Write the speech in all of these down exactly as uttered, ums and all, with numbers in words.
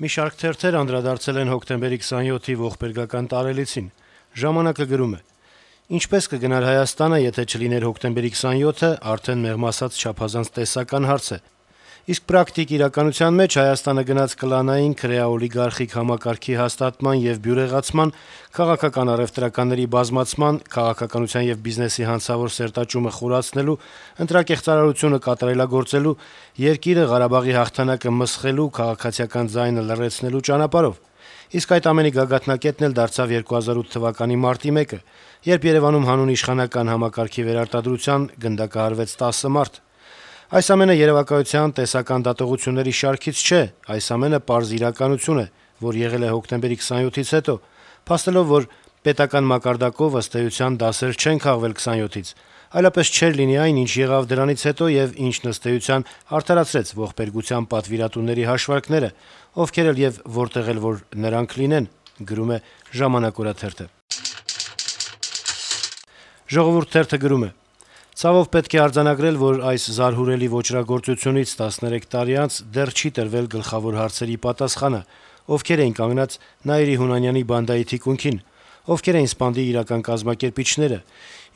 Մի շարք թերթեր անդրադարձել են հոկտեմբերի քսանյոթի ողբերգական տարելիցին։ «Ժամանակ»-ը գրում է. - «Ինչպե՞ս կգնար Հայաստանը, եթե չլիներ հոկտեմբերի քսանյոթը, արդեն մեղմ ասած չափազանց տեսական հարց է: Իսկ պրակտիկ իրականության մեջ Հայաստանը գնաց կլանային քրեա-օլիգարխիկ համակարգի հաստատման եւ բյուրեղացման, քաղաքական առեւտրականների բազմացման, քաղաքականության եւ բիզնեսի հանցավոր սերտաճումը խորացնելու, ընտրակեղծարարությունը կատարելագործելու, երկիրը, Ղարաբաղի հաղթանակը մսխելու, քաղաքացիական ձայնը լռեցնելու ճանապարհով: Իսկ այդ ամենի գագաթնակետն էլ դարձավ երկու հազար ութ թվականի մարտի մեկը, երբ Երեւանում հանուն իշխանական համակարգի վերարտադրության գնդակահարվեց տասը մարդ: Այս ամենը երեւակայության տեսական դատողությունների շարքից չէ, այս ամենը պարզ իրականություն է, որ եղել է հոկտեմբերի քսանյոթից հետո, փաստելով, որ պետական մակարդակով, ըստ էության, դասեր չեն քաղվել քսանյոթից, այլապես չէր լինի այն, ինչ եղավ դրանից հետո եւ ինչն, ըստ էության, արդարացրեց ողբերգության պատվիրատուների հաշվարկները, ովքեր էլ եւ որտեղ էլ որ նրանք լինեն»: «Ժողովուրդ» թերթը գրում է. - «Ցավով պետք է արձանագրել, որ այս զարհուրելի ոճրագործությունից տասներեք տարի անց դեռ չի տրվել գլխավոր հարցերի պատասխանը. ովքեր էին կանգնած Նաիրի Հունանյանի բանդայի թիկունքին, ովքեր էին սպանդի իրական կազմակերպիչները,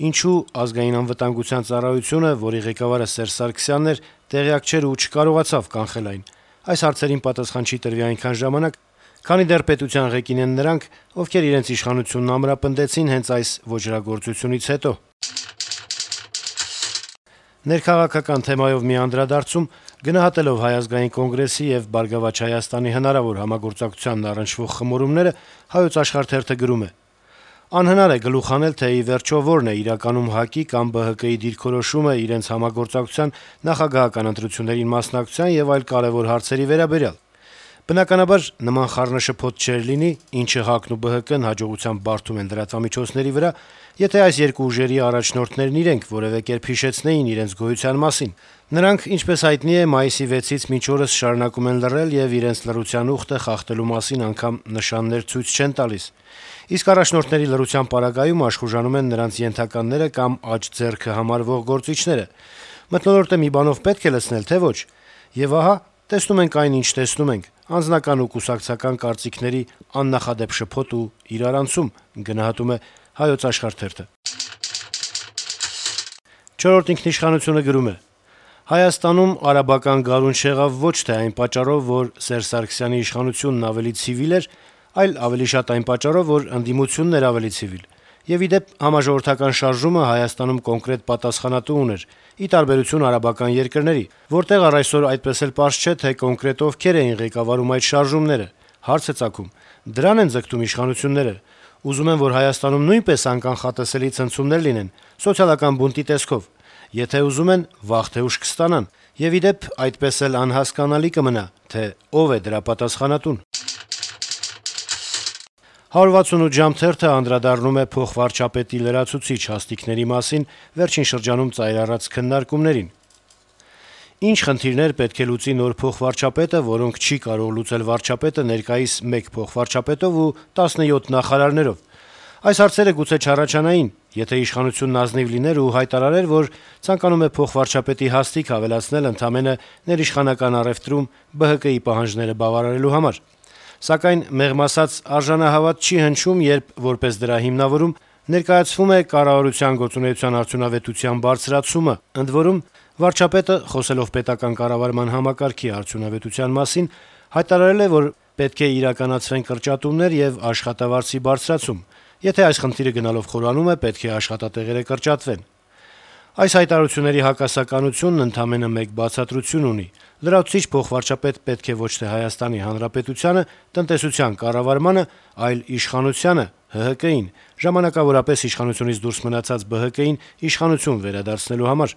ինչու Ազգային անվտանգության ծառայությունը, որի ղեկավարը Սերժ Սարգսյանն էր, տեղյակ չէր ու չկարողացավ կանխել այն: Այս հարցերին պատասխան չի տրվի այնքան ժամանակ, քանի դեռ պետության ղեկին են նրանք, ովքեր իրենց իշխանությունն ամրապնդեցին հենց այս ոճրագործությունից հետո»: Ներքաղաքական թեմայով մի անդրադարձում, գնահատելով Հայ ազգային կոնգրեսի եւ «Բարգավաճ Հայաստանի» հնարավոր համագործակցությանն առնչվող խմորումները, «Հայոց Աշխարհ» թերթը գրում է. - «Անհնար է գլուխ հանել, թե ի վերջո որն է իրականում ՀԱԿ-ի կամ ԲՀԿ-ի դիրքորոշումը իրենց համագործակցության, նախագահական ընտրություններին մասնակցության եւ այլ կարեւոր հարցերի վերաբերյալ: Բնականաբար, նման խառնաշփոթ չէր լինի, ինչը ՀԱԿ-ն ու ԲՀԿ-ն հաջողությամբ բարդում են լրատվամիջոցների վրա, եթե այս երկու ուժերի առաջնորդներն իրենք որեւէ կերպ հիշեցնեին իրենց գոյության մասին: Նրանք, ինչպես հայտնի է, մայիսի վեցից մինչ օրս շարունակում են լռել եւ իրենց լռության ուխտը խախտելու մասին անգամ նշաններ ցույց չեն տալիս: Իսկ առաջնորդների լռության պարագայում աշխուժանում են նրանց ենթականները կամ աջ ձեռքը համարվող գործիչները: Մթնոլորտը մի բանով պետք է լցնել, թե ոչ: Եվ ահա, տեսնում ենք այն, ինչ տեսնում ենք՝ անձնական ու կուսակցական կարծիքների աննախադեպ շփոթ ու իրարանցում»: «Չորրորդ ինքնիշխանություն»-ը գրում է. - «Հայաստանում արաբական գարուն չեղավ ոչ թե այն պատճառով, որ Սերժ Սարգսյանի իշխանությունն ավելի ցիվիլ էր, այլ ավելի շատ այն պատճառով, որ ընդդիմությունն էր ավելի ցիվիլ: Եվ, ի դեպ, համաժողովրդական շարժումը Հայաստանում կոնկրետ պատասխանատու ուներ, ի տարբերություն արաբական երկրների, որտեղ առ այսօր այդպես էլ պարզ չէ, թե կոնկրետ ովքեր էին ղեկավարում այդ շարժումները: Հարց է ծագում՝ դրա՞ն են ձգտում իշխանությունները: Ուզում են, որ Հայաստանում նույնպես անկանխատեսելի ցնցումներ լինեն՝ սոցիալական բունտի տեսքով: Եթե ուզում են, վաղ թե ուշ կստանան: Եվ, ի դեպ, այդպես էլ անհասկանալի կմնա, թե ով է դրա պատասխանատուն»: «հարյուր վաթսունութ ժամ» թերթը անդրադառնում է փոխվարչապետի լրացուցիչ հաստիքների մասին վերջին շրջանում ծայր առած քննարկումներին. - «Ինչ խնդիրներ պետք է լուծի նոր փոխվարչապետը, որոնք չի կարող լուծել վարչապետը ներկայիս մեկ փոխվարչապետով ու տասնյոթ նախարարներով: Այս հարցերը գուցե չառաջանային, եթե իշխանությունն ազնիվ լիներ ու հայտարարեր, որ ցանկանում է փոխվարչապետի հաստիք ավելացնել ընդամենը ներիշխանական առեւտրում ԲՀԿ-ի պահանջները բավարարելու համար: Սակայն, մեղմ ասած, արժանահավատ չի հնչում, երբ, որպես դրա հիմնավորում, ներկայացվում է կառավարության գործունեության արդյունավետության բարձրացումը: Ընդ որում, վարչապետը, խոսելով պետական կառավարման համակարգի արդյունավետության մասին, հայտարարել է, որ պետք է իրականացվեն կրճատումներ եւ աշխատավարձի բարձրացում: Եթե այս խնդիրը գնալով խորանում է, պետք է աշխատատեղերը կրճատվեն: Այս հայտարարությունների հակասականությունն ընդամենը մեկ բացատրություն ունի՝ լրացուցիչ փոխվարչապետ պետք է ոչ թե Հայաստանի Հանրապետությանը, տնտեսության կառավարմանը, այլ իշխանությանը՝ ՀՀԿ-ին, ժամանակավորապես իշխանությունից դուրս մնացած ԲՀԿ-ին իշխանություն վերադարձնելու համար»: